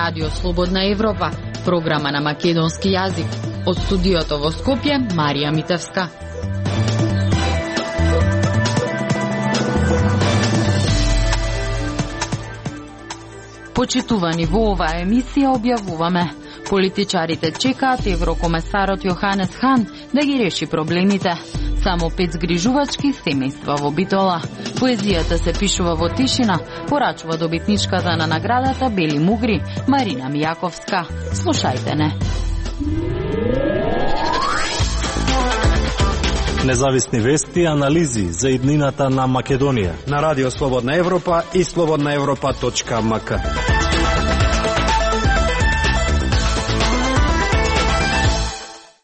Радио Слободна Европа, програма на македонски јазик. Од студиото во Скопје, Марија Митевска. Почитувани, во оваа емисија објавуваме: политичарите чекаат еврокомесарот Јоханес Хан да ги реши проблемите. Само 5 згрижувачки семејства во Битола. Поезијата се пишува во тишина, порачува добитничката на наградата Бели мугри, Марина Мијаковска. Слушајте не. Независни вести и анализи за иднината на Македонија на Радио Слободна Европа и slobodnaevropa.mk.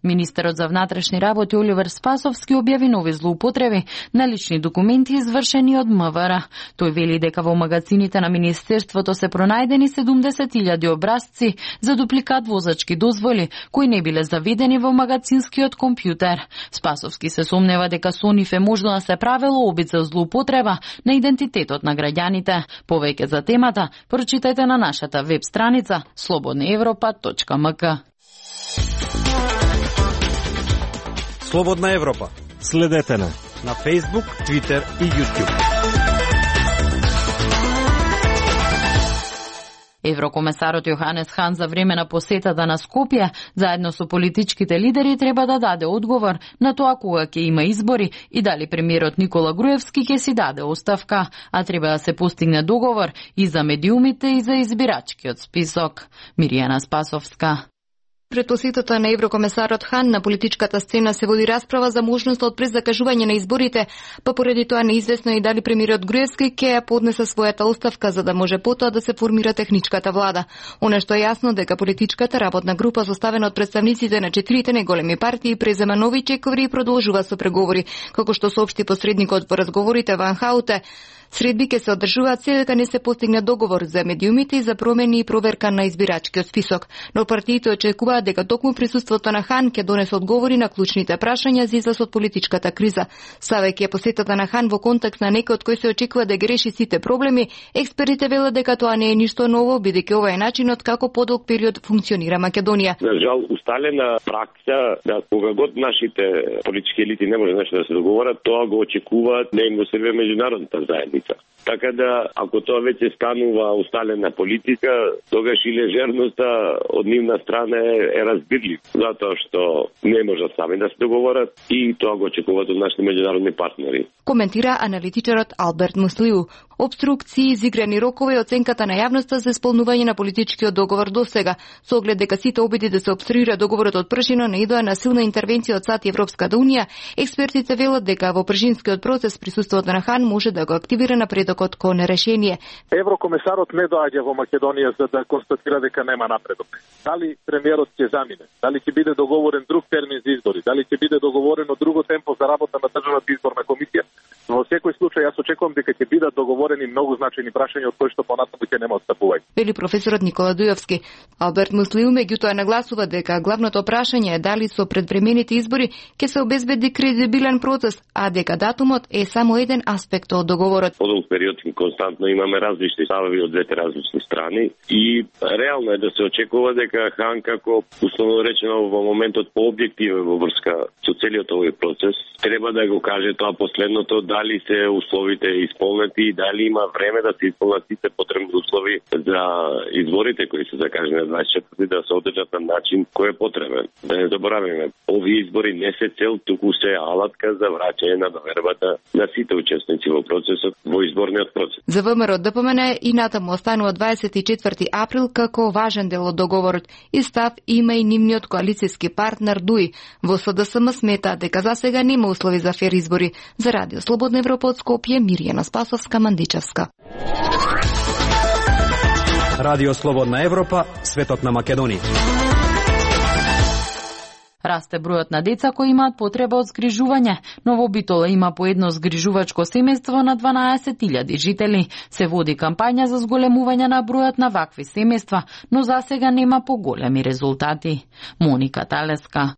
Министерот за внатрешни работи Оливер Спасовски објави нови злоупотреби на лични документи извршени од МВР. Тој вели дека во магазините на Министерството се пронајдени 70.000 образци за дупликат возачки дозволи, кои не биле заведени во магазинскиот компјутер. Спасовски се сомнева дека со нив е можно да се правело обид за злоупотреба на идентитетот на граѓаните. Повеќе за темата прочитајте на нашата веб страница slobodnaevropa.mk. Слободна Европа. Следете на Facebook, Twitter и YouTube. Еврокомесарот Јоханес Хан за време на посетата на Скопје, заедно со политичките лидери, треба да даде одговор на тоа кога ќе има избори и дали премиерот Никола Груевски ќе си даде оставка, а треба да се постигне договор и за медиумите и за избирачкиот список. Миријана Спасовска. Пред посетата на еврокомесарот Хан на политичката сцена се води расправа за можноста од презакажување на изборите, па поради тоа неизвестно и дали премиерот Груевски ќе ја поднесе својата оставка за да може потоа да се формира техничката влада. Она што е јасно дека политичката работна група составена од представниците на 4 најголеми партии презема нови чековри и продолжува со преговори, како што соопшти посредникот во разговорите Ван Хауте. Средби ќе се одржуваат се дека не се постигне договор за медиумите и за промени и проверка на избирачкиот список. Но партиите очекуваат дека токму присуството на Хан ќе донесе одговори на клучните прашања за излаз од политичката криза. Ставајќи посетата на Хан во контекст на некој од кој се очекува да ги реши сите проблеми, експертите велат дека тоа не е ништо ново, бидејќи ова е начинот како подолг период функционира Македонија. За жал, усталена пракса да кога год нашите политички елити не може нешто да се договорат, тоа го очекуваат да им го сервира меѓународната заедница. Така да, ако тоа веќе станува усталена политика, тогаш и лежерноста од нивна страна е разбирлив, затоа што не можат сами да се договорат и тоа го очекуваат од нашите меѓународни партнери. Коментира аналитичарот Алберт Муслиу. Обструкции, изиграни рокови и оценката на јавноста за исполнување на политичкиот договор досега, со оглед дека сите обиди да се обструира договорот од пршино наидоа на силна интервенција од САД и Европската унија, експертите велат дека во пршинскиот процес присуството на Хан може да го активира напредокот кон решение. Еврокомесарот не доаѓа во Македонија за да констатира дека нема напредок. Дали премиерот ќе замине, дали ќе биде договорен друг термин за избори, дали ќе биде договорено друго темпо за работа на државната изборна комисија, во секој случај јас очекувам дека ќе бидат договорени многу значајни прашања од кои што понатаму ќе нема отстапување. Вели професорот Никола Дујовски. Алберт Муслиу меѓутоа нагласува дека главното прашање е дали со предвремените избори ќе се обезбеди кредибилен процес, а дека датумот е само еден аспект од договорот. Подолг период константно имаме различни ставови од двете различни страни и реално е да се очекува дека Хан, како условно речено во моментот пообјективен во врска со целиот овој процес, треба да го каже тоа последното, дали се условите исполнети и дали има време да се исполнат сите потребни услови за изборите кои се закажани на 24 да се одржат на начин кој е потребен. Да не забораваме, овие избори не се цел, туку се алатка за враќање на довербата на сите учесници во процесот, во изборниот процес. За ВМРО ДПМН и натаму останува 24 април како важен дел од договорот и став има и нивниот коалицијски партнер ДУИ. Во СДСМ смета дека засега нема услови за фер избори. За Радио Слободна Европа од Скопје, Миријана Спасовска, Мандичевска. Радио Слободна Европа, светот на Македонија. Расте бројот на деца кои имаат потреба од згрижување, но во Битола има по едно згрижувачко семејство на 12.000 жители. Се води кампања за зголемување на бројот на вакви семејства, но засега нема поголеми резултати. Моника Талеска.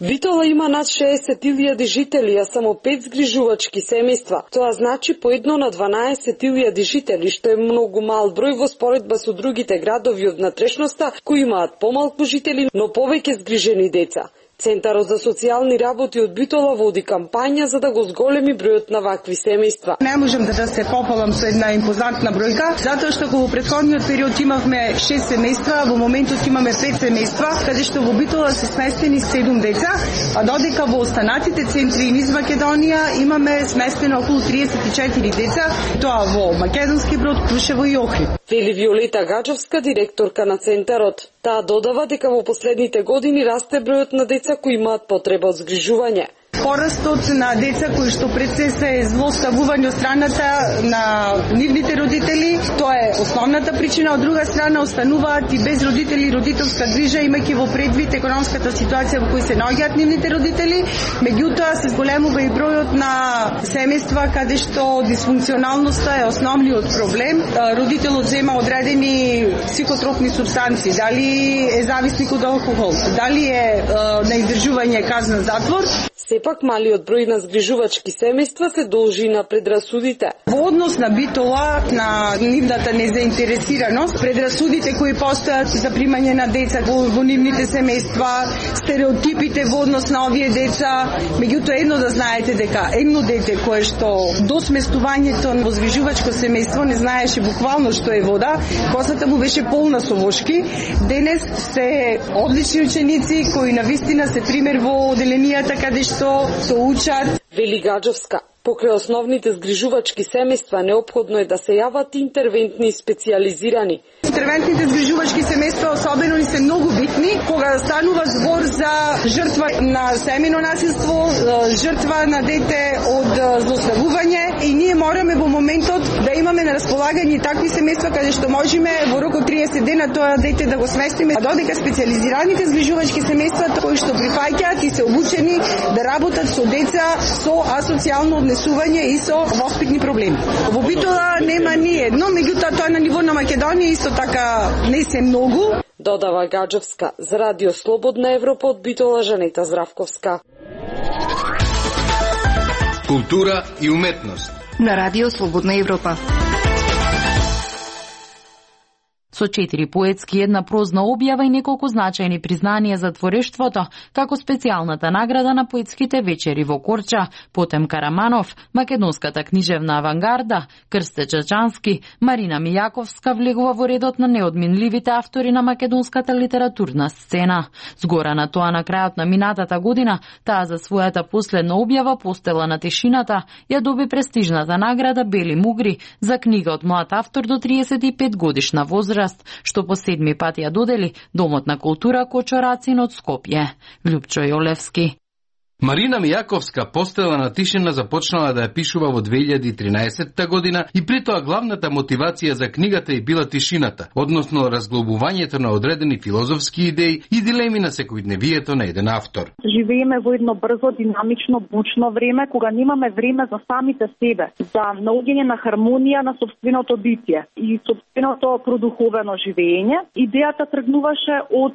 Битола има над 60.000 жители, а само 5 згрижувачки семејства. Тоа значи по едно на 12.000 жители, што е многу мал број во споредба со другите градови од внатрешноста кои имаат помалку жители, но повеќе згрижени деца. Центарот за социјални работи од Битола води кампања за да го зголеми бројот на вакви семејства. Не можам да се пополам со една импозантна бројка, затоа што во претходниот период имавме 6 семејства, во моментот имаме 5 семејства, каде што во Битола се сместени 7 деца, а додека во останатите центри низ Македонија имаме сместено околу 34 деца, тоа во Македонски Брод, Крушево и Охрид. Вели Виолета Гаджовска, директорка на центарот. Таа додава дека во последните години расте бројот на деца кои имаат потреба од згрижување. Порастот на деца кои што пред се се злоставување од страната на нивните родители, тоа е основната причина. Од друга страна остануваат и без родители и родителска грижа, имајќи во предвид економската ситуација во која се наоѓаат нивните родители. Меѓутоа се зголемува и бројот на семејства каде што дисфункционалноста е основниот проблем. Родителот зема одредени психотропни супстанции, дали е зависник од алкохол, дали е на издржување казна затвор. Сепак малиот број на згрижувачки семејства се должи на предрасудите. Во однос на Битола, на нивната незаинтересираност, предрасудите кои постојат за примање на деца во нивните семејства, стереотипите во однос на овие деца, меѓутоа едно да знаете дека едно дете кое што до сместувањето во згрижувачко семејство не знаеше буквално што е вода, косата му беше полна со вошки, денес се одлични ученици кои навистина се пример во оделенијата каде што се учат. Вели Гаджовска, покрај основните згрижувачки семејства неопходно е да се јават интервентни и специјализирани. Интервентните згрижувачки семејства особено ни се многу битни кога станува збор за жртва на семејно насилство, жртва на дете од злоставување и ние мораме во моментот да имаме на располагање такви семејства каде што можеме во рок од 30 дена тоа дете да го сместиме, а додека специјализираните згрижувачки семејства кои што прифаќаат и се обучени да работат со деца со асоцијално однесување и со воспитни проблеми. Во Битола нема ни едно, меѓутоа тоа на ниво на Македонија исто така не се многу. Додава Гаджовска. За Радио Слободна Европа од Битола, Жанета Здравковска. Култура и уметност. На Радио Слободна Европа. Со 4 поетски, една прозна објава и неколку значајни признанија за творештвото, како специјалната награда на поетските вечери во Корча, Потем Караманов, македонската книжевна авангарда, Крсте Чачански, Марина Мијаковска влегува во редот на неодминливите автори на македонската литературна сцена. Згора на тоа, на крајот на минатата година, таа за својата последна објава Постела на тишината ја доби престижната награда Бели мугри за книга од млад автор до 35 годишна возраст, што по 7 пат ја додели Домот на култура Кочорацин од Скопје. Лјупчо Јолевски. Марина Мијаковска Постела на тишина започнала да ја пишува во 2013 година и при тоа главната мотивација за книгата е била тишината, односно разглобувањето на одредени филозофски идеи и дилеми на секојдневието на еден автор. Живееме во едно брзо, динамично, бучно време, кога немаме време за самите себе, за наоѓање на хармонија на сопственото битие и сопственото продуховено живење. Идејата тргнуваше од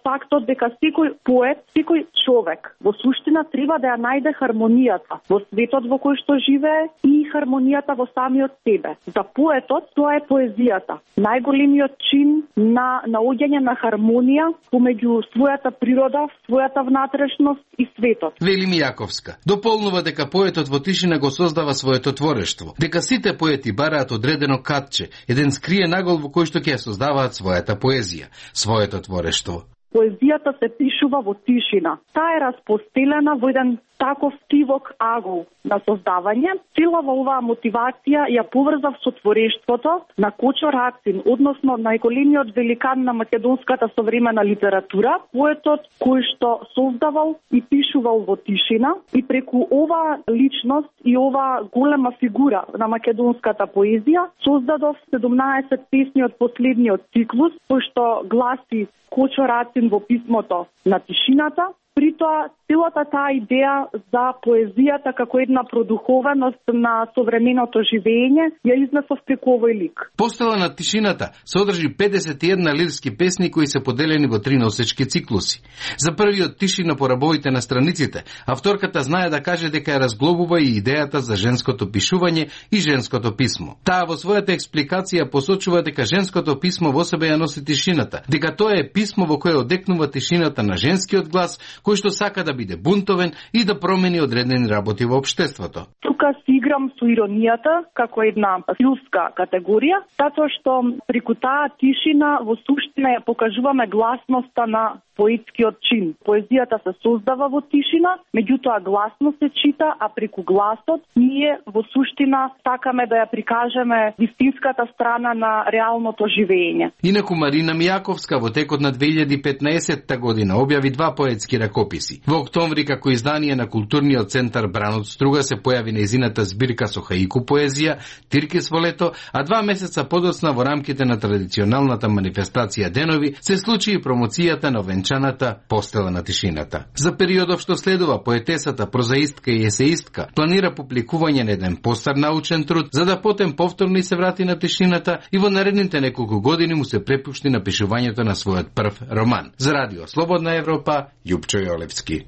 фактот дека секој поет, секој човек во суштина треба да ја најде хармонијата во светот во кој што живее и хармонијата во самиот себе. За поетот тоа е поезијата, најголемиот чин на наоѓање на хармонија помеѓу својата природа, својата внатрешност и светот. Вели Мијаковска дополнува дека поетот во тишина го создава своето творештво, дека сите поети бараат одредено катче, еден скриен агол во кој што ќе создаваат својата поезија, своето творештво. Поезијата се пишува во тишина. Таа е распостелена во еден таков тивок агол на создавање. Целава оваа мотивација ја поврзав со творештвото на Кочорацин, односно најголемиот великан на македонската современа литература, поетот кој што создавал и пишувал во тишина, и преку оваа личност и оваа голема фигура на македонската поезија создадов 17 песни од последниот циклус, кој што гласи Кочорацин во писмото на тишината, притоа целата таа идеја за поезијата како една продуховеност на современото живење ја изнесов преку овој лик. Постела на тишината содржи 51 лирски песни кои се поделени во 3 носечки циклуси. За првиот тишина по рабовите на страниците, авторката знае да каже дека ја разглобува и идејата за женското пишување и женското писмо. Таа во својата експликација посочува дека женското писмо во себе ја носи тишината, дека тоа е писмо во кое одекнува тишината на женскиот глас, кој што сака да биде бунтовен и да промени одредени работи во општеството. Тука си играм со иронијата како една стилска категорија, затоа што преку таа тишина во суштина ја покажуваме гласноста на поетскиот чин. Поезијата се создава во тишина, меѓутоа гласно се чита, а преку гласот ние во суштина сакаме да ја прикажеме вистинската страна на реалното живење. Инаку Марина Мијаковска во текот на 2015 година објави 2 поетски ракописи. Во октомври како издание на културниот центар Бран од струга се појави нејзината збирка со хаику поезија Тиркис во лето, а 2 месеца подоцна во рамките на традиционалната манифестација Денови се случи и промоцијата на венчаната Постела на тишината. За периодов што следува, поетесата, прозаистка и есеистка планира публикување на еден постар научен труд, за да потем повторно се врати на тишината и во наредните неколку години му се препушти на пишувањето на својот прв роман. За Радио Слободна Европа, Јупчо Јолевски.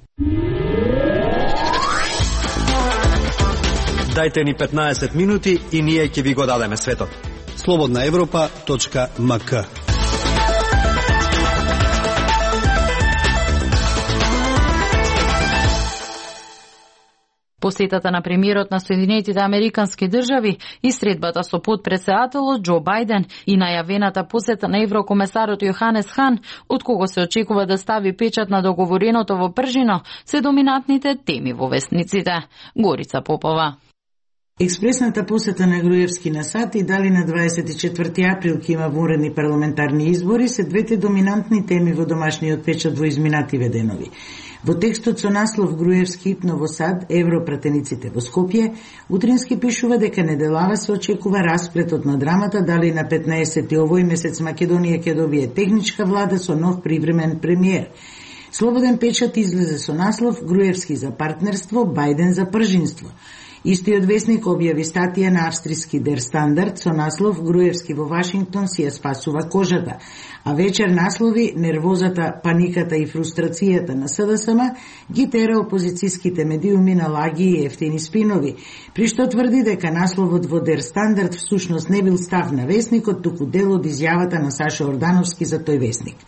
Дајте ни 15 минути и ние ќе ви го дадеме светот. slobodnaevropa.mk. Посетата на премиерот на Соединетите Американски држави и средбата со подпредседателот Џо Бајден и најавената посета на еврокомесарот Јоханес Хан, од кого се очекува да стави печат на договореното во пржино, се доминантните теми во весниците. Горица Попова. Експресната посета на Груевски на САД и дали на 24 април ќе има вонредни парламентарни избори се двете доминантни теми во домашниот печат во изминативе денови. Во текстот со наслов Груевски ипно во САД, Европратениците во Скопје, утрински пишува дека неделава се очекува расплетот на драмата дали на 15 овој месец Македонија ќе добие техничка влада со нов привремен премиер. Слободен печат излезе со наслов Груевски за партнерство, Бајден за пржинство. Истиот весник објави статија на австријски Der Standard со наслов Груевски во Вашингтон си ја спасува кожата, а вечер наслови нервозата, паниката и фрустрацијата на СДСМ ги тера опозицијските медиуми на лаги и ефтини спинови, при што тврди дека насловот во Der Standard всушност не бил став на весникот, туку дел од изјавата на Сашо Ордановски за тој весник.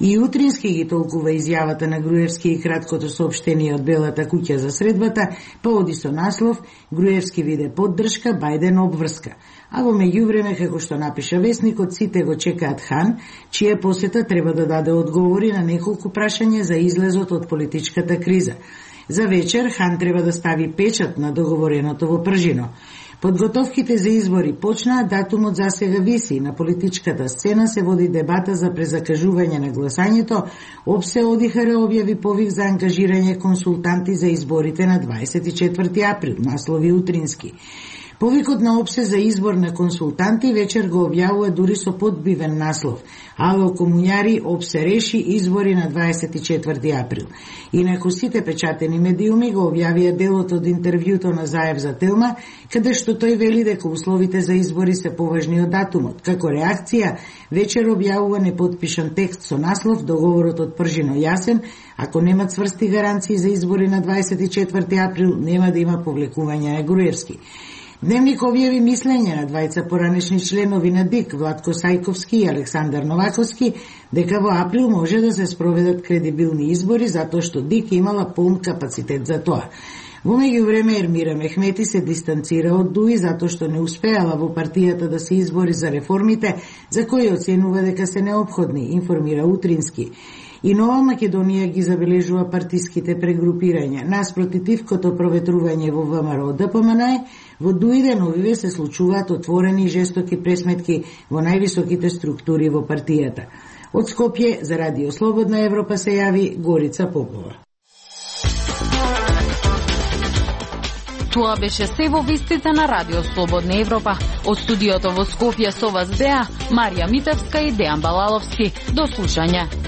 И утрински ги толкува изјавата на Груевски и краткото соопштение од Белата куќа за средбата, па оди со наслов Груевски виде поддршка, Бајден обврска. А во меѓувреме, како што напиша весникот, сите го чекаат Хан, чија посета треба да даде одговори на неколку прашања за излезот од политичката криза. За вечер Хан треба да стави печат на договореното во пржино. Подготовките за избори почнаа, датумот засега виси. На политичката сцена се води дебата за презакажување на гласањето. ОПСЕ ОДИХР објави повик за ангажирање консултанти за изборите на 24 април, наслови утрински. Повикот на ОПСЕ за избор на консултанти вечер го објавува дури со подбивен наслов. Ало комуњари, ОПСЕ реши избори на 24 април. Инаку сите печатени медиуми го објавија делот од интервјуто на Заев за Телма, каде што тој вели дека условите за избори се поважни од датумот. Како реакција, вечер објавува неподпишан текст со наслов Договорот од пржино јасен, ако нема цврсти гаранции за избори на 24 април, нема да има повлекување на Груевски. Дневник објави мислење на двајца поранешни членови на ДИК, Владко Сајковски и Александар Новаковски, дека во април може да се спроведат кредибилни избори, затоа што ДИК имала полн капацитет за тоа. Во меѓувреме Ермира Мехмети се дистанцира од ДУИ затоа што не успеала во партијата да се избори за реформите, за кои оценува дека се неопходни, информира утрински. И Нова Македонија ги забележува партиските прегрупирања. Наспроти тивкото проветрување во ВМРО ДПМН, во ДУИ деновиве се случуваат отворени и жестоки пресметки во највисоките структури во партијата. Од Скопје за Радио Слободна Европа се јави Горица Попова. Тоа беше се во вестите на Радио Слободна Европа. Од студиото во Скопје со вас беа Марија Митевска и Дејан Балаловски. До слушање.